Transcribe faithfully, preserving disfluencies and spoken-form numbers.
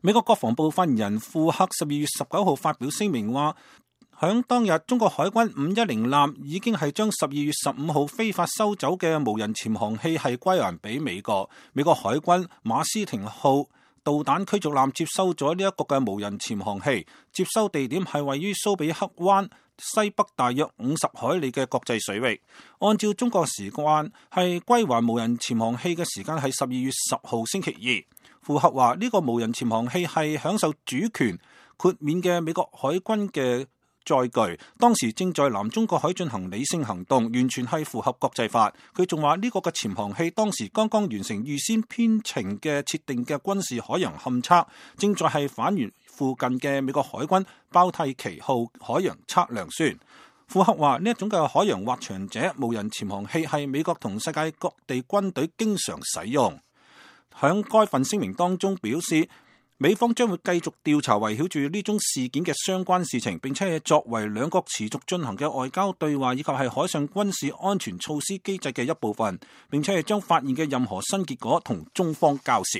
美國國防部發言人庫克十二月十九號發表聲明話，響當日中國海軍五一零艦已經係將十二月十五號非法收走嘅無人潛航器係歸還俾美國。美國海軍馬斯廷號導彈驅逐艦接收咗呢一個嘅無人潛航器，接收地點係位於蘇比克灣西北大約五十海里嘅國際水域。按照中國時間，係歸還無人潛航器嘅時間係十二月十號星期二。庫克話呢個無人潛航器係享受主權豁免嘅美國海軍嘅載具，當時正在南中國海進行理性行動，完全係符合國際法。佢仲話呢個嘅潛航器當時剛剛完成預先編程嘅設定嘅軍事海洋勘測，正在係返回附近嘅美國海軍包蒂奇號海洋測量船。庫克話呢一種嘅海洋滑翔者無人潛航器係美國同世界各地軍隊經常使用。響該份聲明當中表示，美方將會繼續調查圍繞住呢宗事件嘅相關事情，並且係作為兩國持續進行嘅外交對話以及係海上軍事安全措施機制嘅一部分，並且係將發現嘅任何新結果同中方交涉。